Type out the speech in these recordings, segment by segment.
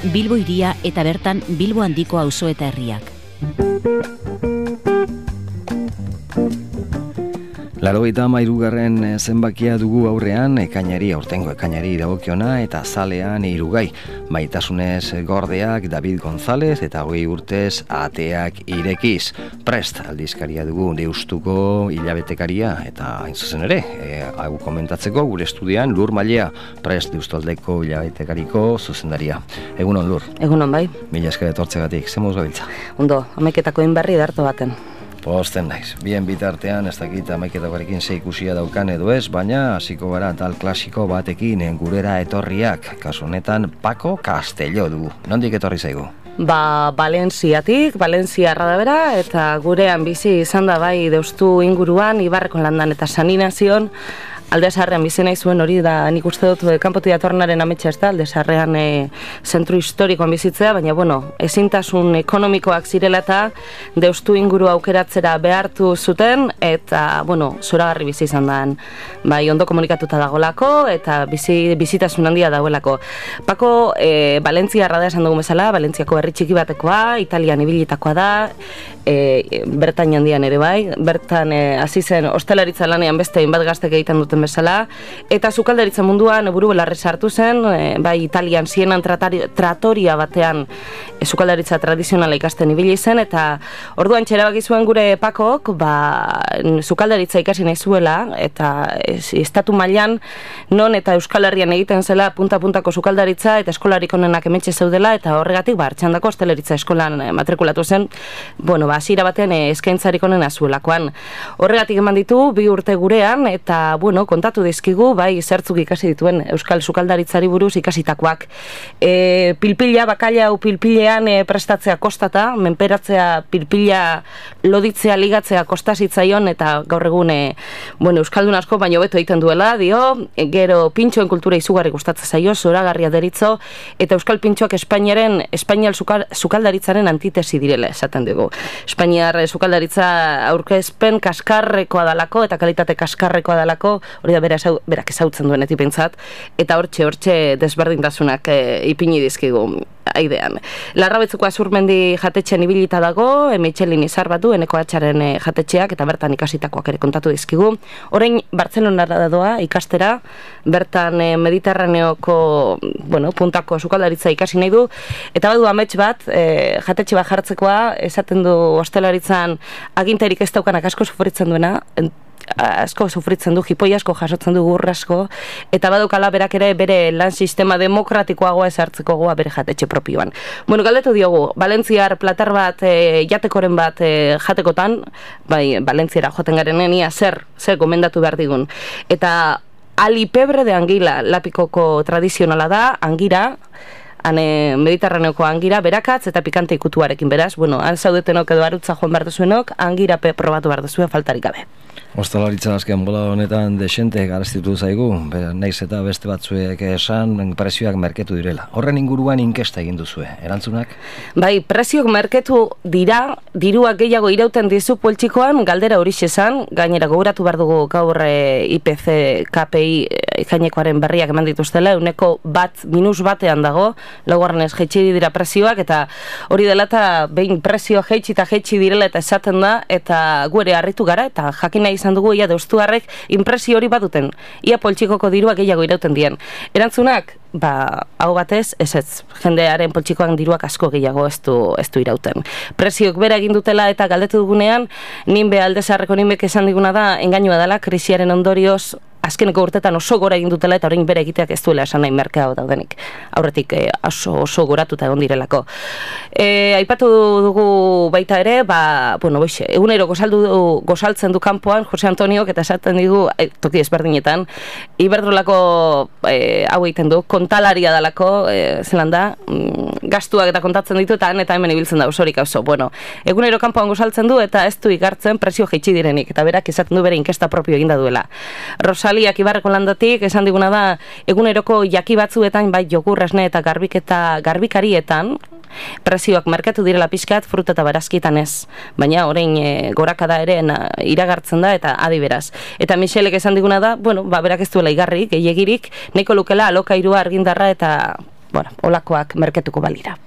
Bilbo hiria eta bertan Bilbo handiko auzo eta herriak. 93. zenbakia dugu aurrean, aurtengo ekainari dagokiona eta zalean hirugai. Maitasunez Gordeak, David González eta 20 urtez Ateak irekiz. Prest aldizkaria dugu Deustuko hilabetekaria eta hain zuzen ere, hau komentatzeko gure estudian Lur Malea, Prest Deustaldeko hilabetekariko zuzendaria. Egunon, Lur. Egunon, bai. Mila esker etortzegatik, zen moduz gabiltza? Ondo, 11etako berri darto baten. Posten naiz. Bien bitartean, ez dakit 11etakoarekin ze ikusia daukan edo ez, baina hasiko gara tal klasiko batekin gurera etorriak. Kasu honetan, Paco Castelló dugu. Nondik etorri zaigu? Valentziatik, Valentziarra da bera, eta gurean bizi izan da bai Deustu inguruan, Ibarreko landan eta Saninazion, Aldezarrean bizi nahi zuen hori da, nik uste dut kanpotik datornaren ametsa ez da, Aldezarrean zentru historikoan bizitzea, baina ezintasun ekonomikoak zirela eta Deustu inguru aukeratzera behartu zuten, eta zoragarri bizi izan da, bai ondo komunikatuta dagolako, eta bizitasun handia dagoelako. Paco, Valentziarra da esan dugu bezala, Valentziako herri txiki batekoa, Italian ibilitakoa da, bertan handian ere bai, bertan hasi zen ostalaritza lanean beste hainbat gaztek egiten duten bezala, eta sukaldaritza munduan buru belarri sartu zen, bai Italian Sienan tratoria batean sukaldaritza tradizionala ikasten ibili zen, eta orduan txerabaki zuen gure Pakok, sukaldaritza ikasi nahi zuela, eta estatu mailan non eta Euskal Herrian egiten zela punta-puntako sukaldaritza, eta eskolarik onenak hementxe zeudela, eta horregatik hartxandako ostalaritza eskolan matrikulatu zen, hasiera batean eskaintzarik onena zuelakoan. Horregatik eman ditu 2 urte gurean, eta kontatu dizkigu, bai zertzuk ikasi dituen Euskal sukaldaritzari buruz ikasitakoak. Pilpila, bakailau pilpilean prestatzea kostata, menperatzea pilpila loditzea, ligatzea kostazitzaion, eta gaur egun Euskaldun asko baino beto egiten duela, gero pintxoen kultura izugarri gustatzen zaio, zoragarria deritzo, eta Euskal pintxoak Espainial sukaldaritzaren antitesi direla, esaten dugu. Espainiar sukaldaritza aurkezpen kaskarrekoa dalako, eta kalitate kaskarrekoa dalako, hori da berak ezautzen duenetik pentsat, eta hortxe desberdintasunak ipini dizkigu aidean. Larrabetzuko Azurmendi jatetxean ibilita dago, Michelin izar batu, Eneko Atxaren jatetxeak, eta bertan ikasitakoak ere kontatu dizkigu. Orain Bartzelonara doa ikastera, bertan Mediterraneoko puntako sukaldaritza ikasi nahi du, eta badu amets bat, jatetxe bat jartzekoa, esaten du hostelaritzan aginterik ez daukanak asko sufritzen duena, asko sufritzen du, jipoi asko jasotzen du, gur asko, eta badukala berak ere bere lan sistema demokratikoagoa ezartzeko goa bere jatetxe propioan. Galdetu diogu, Valentziar platar bat, jatekoren bat jatekotan, bai, Valentziara joten garenen ia zer gomendatu behar digun. Eta alipebre de angila, lapikoko tradizionala da, angira, Mediterraneoko angira, berakatz eta pikante ikutuarekin, beraz, han zaudetenok edo arutza joan behar duzuenok, angira probatu behar duzuen faltarik gabe. Ostalaritza azken bola honetan desente garaztitu zaigu, naiz eta beste batzuek esan prezioak merketu direla. Horren inguruan inkesta egin duzue, erantzunak? Bai, prezioak merketu dira, diruak gehiago irauten dizu poltsikoan, galdera hori esan, gainera gogoratu behar dugu gaur IPC, KPI ikainekoaren berriak eman dituztela, -1 dago, laugarrenez jaitsi dira prezioak, eta hori dela eta behin prezioa jaitsi direla eta esaten da, eta gu ere harritu gara, eta jakin nahi izan dugu ia deustuarrek inpresio hori baduten, ia poltsikoko dirua gehiago irauten dien. Erantzunak, hau batez, ez, jendearen poltsikoan diruak asko gehiago ez du irauten. Prezioak bera egin dutela eta galdetu dugunean, ninbe Aldezarreko ninbek esan diguna da, engainua dela, krisiaren ondorioz, azkeneko urtetan oso gora egin dutela eta orain bere egiteak ez duela esan nahi merkea daudenik. Aurretik oso goratuta egon direlako. Aipatu dugu baita ere, egunero gozaltzen du kanpoan Jose Antoniok eta esaten digu, toki ezberdinetan, Iberdrolako hau egiten du, kontalaria dalako, zelan da, gastuak eta kontatzen ditu eta hemen ibiltzen da osorik oso. Egunero kanpoan gozaltzen du eta ez du igartzen prezio jaitsi direnik, eta berak esaten du bere inkesta propio eginda duela. Rosaliak Ibarreko landatik esan diguna da, eguneroko jaki batzuetan, bai jogur, esne eta garbikarietan, prezioak merkatu direla pixkat, fruta eta barazkitan ez. Baina orain gorakada ere iragartzen da eta adi beraz. Eta Michelek esan diguna da, berak ez duela igarrik, gehiagirik, nahiko lukela alokairua argindarra eta bueno, olakoak merketuko balira.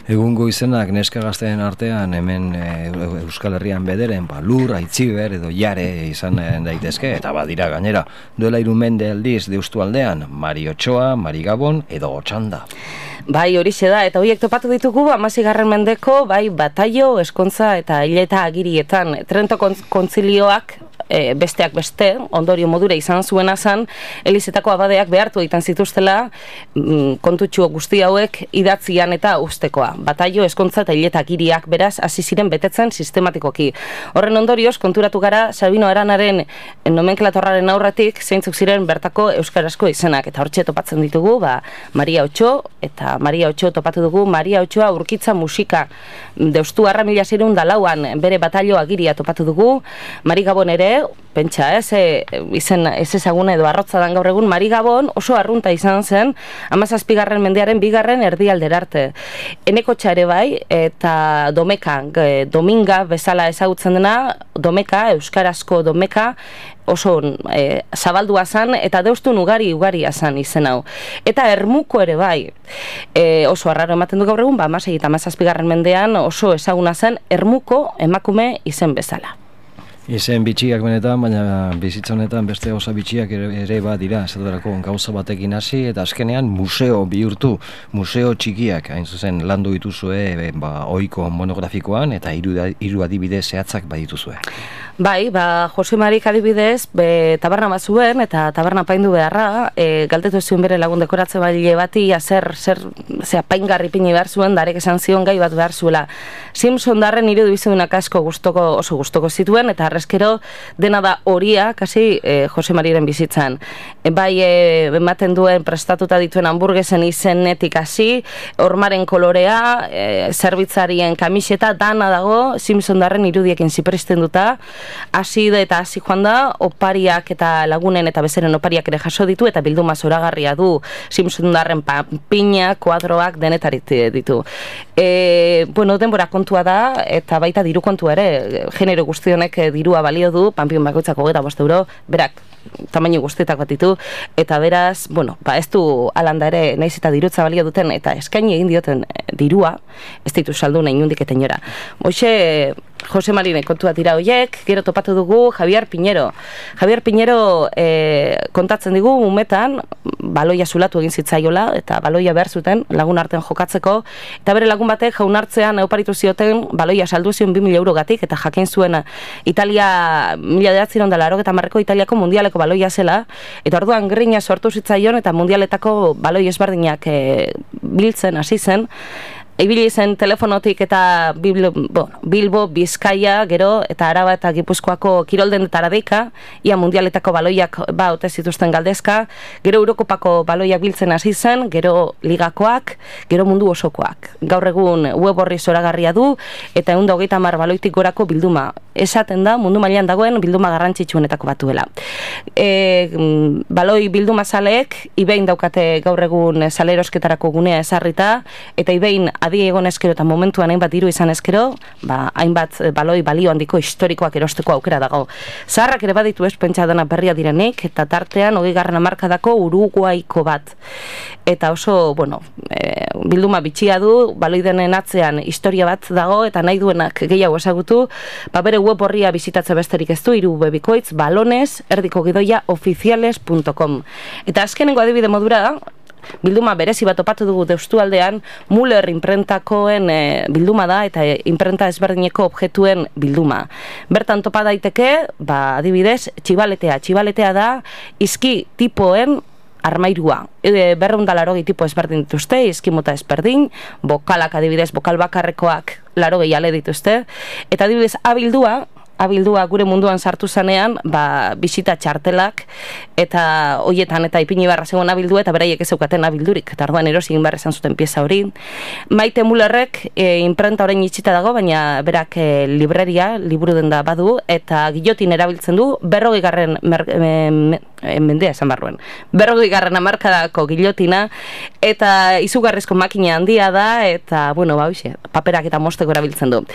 Egungo izenak neska gazteen artean hemen Euskal Herrian bederen lur, aitziber edo jare izan daitezke, eta badira gainera duela 3 mende aldiz deustu aldean Mari Otxoa, Mari Gabon edo Otxanda. Bai, horixe da, eta horiek topatu ditugu 16. mendeko, bai, bataio, eskontza eta hileta agirietan. Trento kontzilioak besteak beste, ondorio modura izan zuena zen, Elizetako abadeak behartu egiten zituztela kontutxu guzti hauek idatzian eta ustekoa. Bataio, eskontza eta hileta agiriak beraz hasi ziren betetzen sistematikoki. Horren ondorioz, konturatu gara Sabino Aranaren nomenklatorraren aurretik zeintzuk ziren bertako euskarazko izenak, eta hortxe topatzen ditugu, Maria Otxo, eta Maria Otxo topatu dugu, Maria Otxoa Urkitza musika, Deustu Arra 1604an bere bataio agiria topatu dugu, Mari Gabon ere, pentsa, izen ez ezaguna edo arrotza dan gaur egun, Mari Gabon oso arrunta izan zen 17. mendearen 2. erdialdera arte. Enekotxa ere bai, eta domeka, dominga bezala ezagutzen dena, domeka, euskarazko domeka, oso zabaldua zan, eta deustun ugaria zan izen hau. Eta ermuko ere bai, oso arraro ematen du gaur egun, 16. eta 17. mendean oso ezaguna zen ermuko emakume izen bezala. Izen bitxiak benetan, baina bizitza honetan beste gauza bitxiak ere badira, esaterako gauza batekin hasi, eta azkenean museo bihurtu, museo txikiak, hain zuzen landu dituzue ohiko monografikoan, eta 3 adibide zehatzak badituzue. Bai, Jose Marik adibidez, taberna bat zuen, eta taberna paindu beharra, galdetu zuen bere lagun dekoratze baile bati, zer apaingarri pini behar zuen, darek esan zion gai bat behar zuela. Simpson darren irudu izudunak asko oso gustoko zituen, eta arrezkero dena da horia, kasi Jose Mariren bizitzan. Bai, ematen duen prestatuta dituen hamburguesen izenetik hasi, hormaren kolorea, zerbitzarien kamiseta, dana dago, Simpson darren irudiekin zipristen duta, hasi eta hasi joan da, opariak eta lagunen eta bezeren opariak ere jaso ditu, eta bilduma zoragarria du, Simpson darren panpina, kuadroak denetarit ditu. Denbora kontua da, eta baita diru kontua ere, genero guztionek dirua balio du, panpin bakoitzako 25 euro, berak tamaino guztietak bat ditu, eta beraz, ez du alanda ere naiz eta dirutza balio duten, eta eskaini egin dioten dirua, ez ditu saldu nahi nundik eta inora. Hoxe, Jose Marine kontua dira hoiek, gero topatu dugu Javier Piñero. Javier Piñero kontatzen digu umetan, baloia zulatu egin zitzaiola, eta baloia behar zuten lagun artean jokatzeko, eta bere lagun batek jaunartzean oparitu zioten baloia saldu zion 2.000 eurogatik, eta jakin zuen Italia 1980ko Italiako mundialeko baloia zela, eta orduan grina sortu zitzaion, eta mundialetako baloi ezberdinak biltzen hasi zen, ibili zen telefonotik eta Bilbo, Bizkaia, gero, eta Araba eta Gipuzkoako kiroldendetara deika, ia mundialetako baloiak ote zituzten galdezka, gero Eurokopako baloiak biltzen hasi zen, gero ligakoak, gero mundu osokoak. Gaur egun web horri zoragarria du, eta 130 baloitik gorako bilduma. Esaten da, mundu mailan dagoen bilduma garrantzitsuenetako batuela. Baloi bilduma zaleek, ibein daukate gaur egun salerosketarako gunea ezarrita, eta ibein adi egon eskero eta momentuan hainbat diru izan eskero, hainbat baloi balio handiko historikoak erosteko aukera dago. Zaharrak ere baditu ez pentsa dena berria direnik, eta tartean 20. hamarkadako Uruguaiko bat. Eta oso, bilduma bitxia du, baloi denen atzean historia bat dago, eta nahi duenak gehiago ezagutu, bere web horria bizitatze besterik ez du, 3 bikoitz, balones, oficiales.com. Eta azkenengo adibide modura, bilduma berezi bat topatu dugu Deustualdean, Müller imprentakoen bilduma da, eta imprenta ezberdineko objektuen bilduma. Bertan topa daiteke, adibidez, txibaletea da, izki tipoen armairua. 280 tipo ezberdin dituzte, izkimota ezberdin, bokalak adibidez, bokal bakarrekoak 80 ale dituzte, eta adibidez, abildua gure munduan sartu zanean, bisita txartelak, eta hoietan eta ipini barra zegoen abildua, eta beraiek ez zeukaten abildurik, eta arduan erosi egin barra izan zuten pieza hori. Maite Müllerrek imprenta orain itxita dago, baina berak libreria, liburu den da badu, eta gillotin erabiltzen du, 40. mendea esan barruen. 40. hamarkadako gillotina, eta izugarrizko makina handia da, eta, paperak eta mosteko erabiltzen du.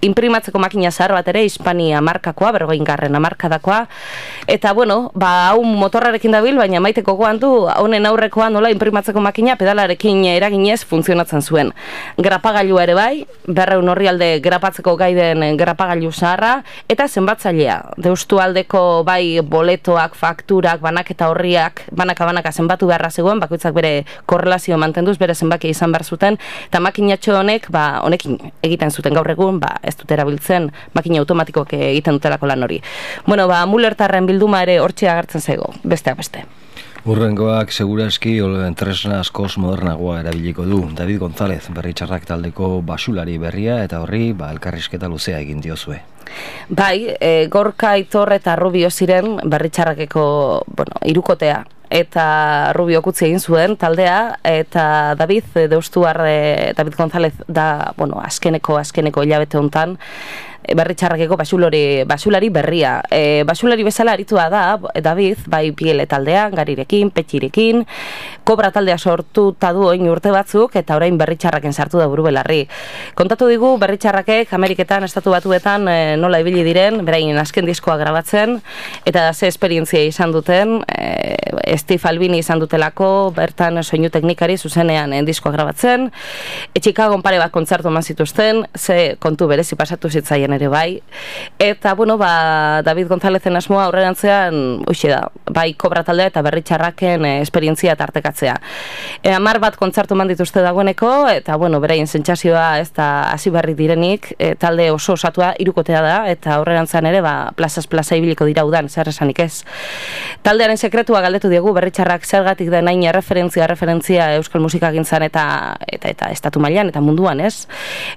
inprimatzeko makina zahar bat ere, Hispania markakoa, 40. hamarkadakoa, eta hau motorrarekin dabil, baina maiteko goan du, honen aurrekoa nola inprimatzeko makina pedalarekin eraginez funtzionatzen zuen. Grapagailua ere bai, 200 orrialde grapatzeko gaiden grapagailu zaharra, eta zenbatzailea. Deustu aldeko bai boletoak, fakturak, banaketa horriak, banaka zenbatu beharra zegoen, bakoitzak bere korrelazio mantenduz, bere zenbakia izan behar zuten, eta makinatxo honekin egiten zuten gaur egun, ez dut erabiltzen makina automatikoak egiten dutelako lan hori. Mullertarren bilduma ere hortxe agertzen zego, besteak beste. Urrengoak segurazki tresna askoz modernagoa erabiliko du. David González, Berritxarrak taldeko basulari berria, eta horri elkarrizketa luzea egin diozue. Bai, Gorka, Aitor eta Rubio ziren Berritxarrakeko hirukotea. Eta Rubio kutzi egin zuen taldea, eta David González da, azkeneko hilabete hontan, Berritxarrakeko basulari berria. Basulari bezala aritua da, David, bai Piele taldean, Garirekin, Petxirekin, Kobra taldea sortuta du oin urte batzuk, eta orain Berritxarraken sartu da buru belarri. Kontatu digu Berritxarrakek Ameriketan, Estatu Batuetan nola ibili diren, beraien azken diskoa grabatzen, eta ze esperientzia izan duten, Steve Albini izan dutelako, bertan soinu teknikari zuzenean diskoa grabatzen, Chicagon pare bat kontzertu eman zituzten, ze kontu berezi pasatu zitzaien ere bai, eta David Gonzálezen asmoa aurrerantzean da, bai Kobra taldea eta Berritxarraken esperientzia tartekatzea. 10 bat kontzertu eman dituzte dagoeneko, eta beraien sentsazioa ez da hasi berri direnik, talde oso osatua hirukotea da, eta aurrerantzean ere plazaz plaza ibiliko dira udan, zer esanik ez. Taldearen sekretua galdetu diegu Berritxarrak zergatik den hain referentzia euskal musikagintzan eta estatu mailan eta munduan, ez?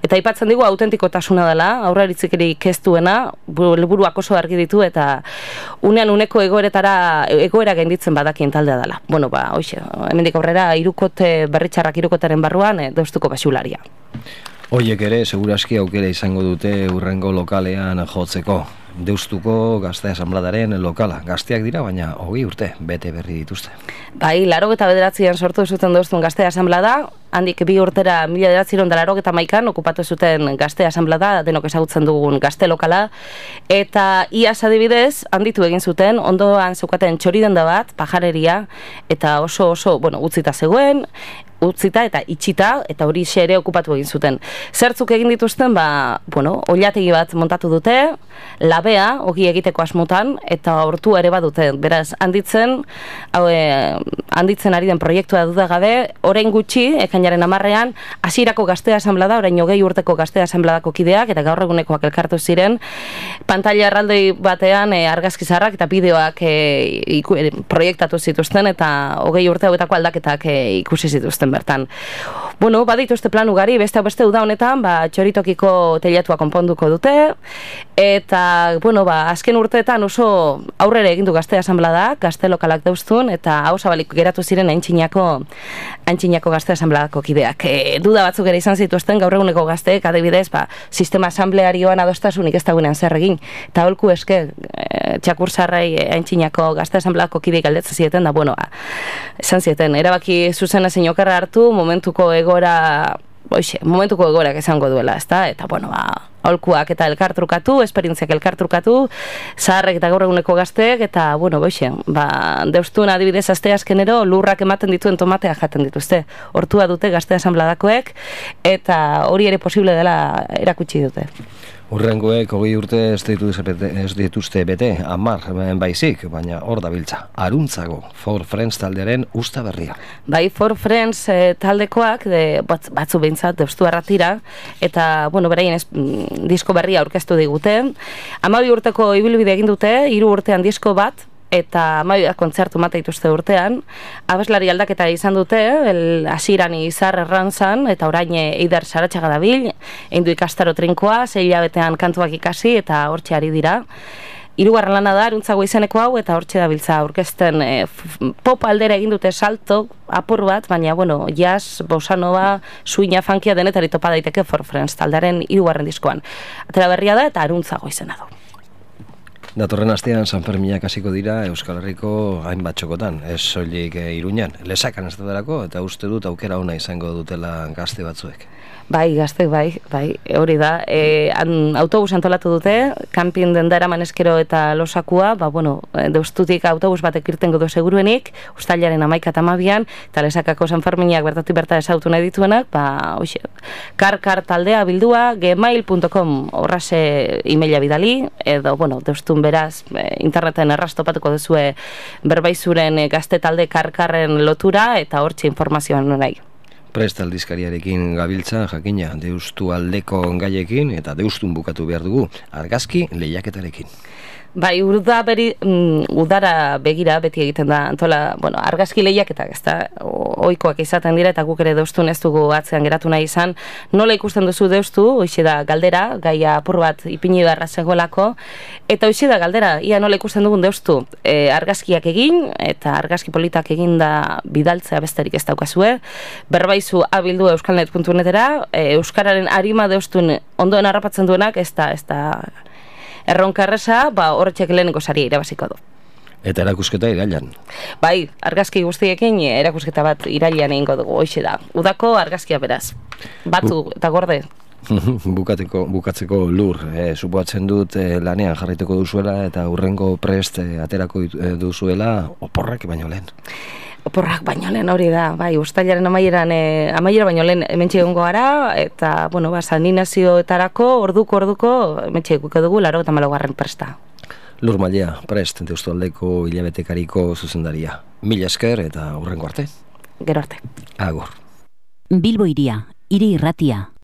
Eta aipatzen digu autentikotasuna dela, aurreritzerik ez duena, helburuak oso argi ditu, eta unean uneko egoera gainditzen badakien taldea dela. Hemendik aurrera Berritxarrak hirukotaren barruan deustuko basularia. Hoiek ere, segurazki aukera izango dute urrengo lokalean jotzeko. Deustuko Gazte Asanbladaren lokala. Gazteak dira, baina 20 urte bete berri dituzte. Bai, 89an sortu zuten Deustun Gazte Asanblada, handik 2 urtera 1991an okupatu zuten Gazte Asanblada, denok ezagutzen dugun gazte lokala, eta iaz adibidez, handitu egin zuten, ondoan zeukaten txoridenda bat, pajareria, eta oso, utzita zegoen, utzita eta itxita, eta hori ere okupatu egin zuten. Zertzuk egin dituzten, oilategi bat montatu dute, labea, ogi egiteko asmotan, eta hortu ere badute. Beraz, handitzen ari den proiektua dudagabe, orain gutxi, ekainaren 10ean, hasierako Gazte Asanblada, orain 20 urteko Gazte Asanbladako kideak, eta gaur egunekoak elkartu ziren, pantaila erraldoi batean argazki zaharrak eta bideoak proiektatu zituzten, eta 20 urte hauetako aldaketak ikusi zituzten bertan. Badituzte plan ugari, beste uda honetan, txoritokiko teilatua konponduko dute, eta, azken urteetan oso aurrera egindu Gazte Asanblada, gazte lokalak Deustun, eta hau zabalik geratu ziren Aintzinako Gazte Asanbladako kideak. Duda batzuk ere izan zituzten gaur eguneko gazteek, adibidez, sistema asamblearioan adostasunik ez dagoenean zer egin, eta holku eske, txakursarrei Aintzinako Gazte Asanbladako kideik galdetzen zieten, esan zieten, erabaki zuzena zein okerra hartu, momentuko egoerak izango duela, ezta? Eta, aholkuak eta elkartrukatu, esperientziak elkartrukatu, zaharrek eta gaur eguneko gazteek, eta, Deustun adibidez asteazkenero lurrak ematen dituen tomateak jaten dituzte. Hortua dute Gazte Asanbladakoek, eta hori ere posible dela erakutsi dute. Urrengoek 20 urte ez dituzte bete, 10 baizik, baina hor dabiltza. Aruntzago, For Friends taldearen usta berria. Bai, For Friends taldekoak, batzu behintzat, Deustu Arratira, eta, beraien disko berria aurkeztu digute. 12 urteko ibilbide egin dute, 3 urtean disko bat, eta 12 kontzertu mate dituzte urtean. Abeslari aldaketa izan dute, hasieran Izar Errantzan, eta orain Eider Saratxaga dabil, eindu ikastaro trinkoa, 6 hilabetean kantuak ikasi, eta hortxe ari dira. 3. lana da, Aruntzago izeneko hau, eta hortxe dabiltza aurkezten pop aldera egin dute salto, apur bat, baina, jazz, bossa nova, suina, funkia denetari topa daiteke For Friends taldearen 3. diskoan. Atera berria da, eta Aruntzago izena du. Datorren astean Sanferminak hasiko dira Euskal Herriko hainbat txokotan, ez soilik Iruñan, Lesakan ez delako, eta uste dut aukera ona izango dutela gazte batzuek. Bai, gaztek, bai, hori da. Autobus antolatu dute, kanpin denda eraman eskero eta losakua, deustutik autobus batek irtengo du seguruenik, ustailaren 11 eta 12an, eta Lesakako San Ferminak bertatik berta esautu nahi dituenak, karkar taldea bildua, gmail.com horrase emaila bidali, edo, deustun beraz, interneten errastopatuko duzue berbaizuren gazte talde karkarren lotura, eta hortxe informazioan nahi. Prest aldizkariarekin gabiltza, jakina, deustu aldeko gaiekin eta deustun bukatu behar dugu, argazki lehiaketarekin. Bai, udara begira beti egiten da, argazki lehiaketak, ez da, ohikoak izaten dira, eta guk ere deustun ez dugu atzean geratu nahi izan. Nola ikusten duzu deustu, hoxe da galdera, gaia apur bat ipini beharra zegoelako, eta hoxe da galdera, ia nola ikusten dugun deustu, argazkiak egin, eta argazki politak egin da bidaltzea besterik ez daukazue, berbaizu abildu euskalnet.netera, euskararen arima deustun ondoen harrapatzen duenak, ez da erronkarreza, horretxek lehenengo saria irabaziko du. Eta erakusketa irailan. Bai, argazki guztiekin erakusketa bat irailan egingo dugu, hoxe da. Udako argazkia beraz. Batu eta gorde. Bukatzeko lur, supoatzen dut lanean jarraiteko duzuela eta hurrengo prest aterako duzuela oporrak baino lehen. Oporrak baino lehen hori da, bai, ustailaren amaiera baino lehen hementxe egongo gara, eta, saninazioetarako orduko hementxe eguko dugu 84. presta. Lur Mailea, prest, Deustualdeko hilabetekariko zuzendaria. Mila esker eta hurrengo arte. Gero arte. Agur. Bilbo Hiria, hiri irratia.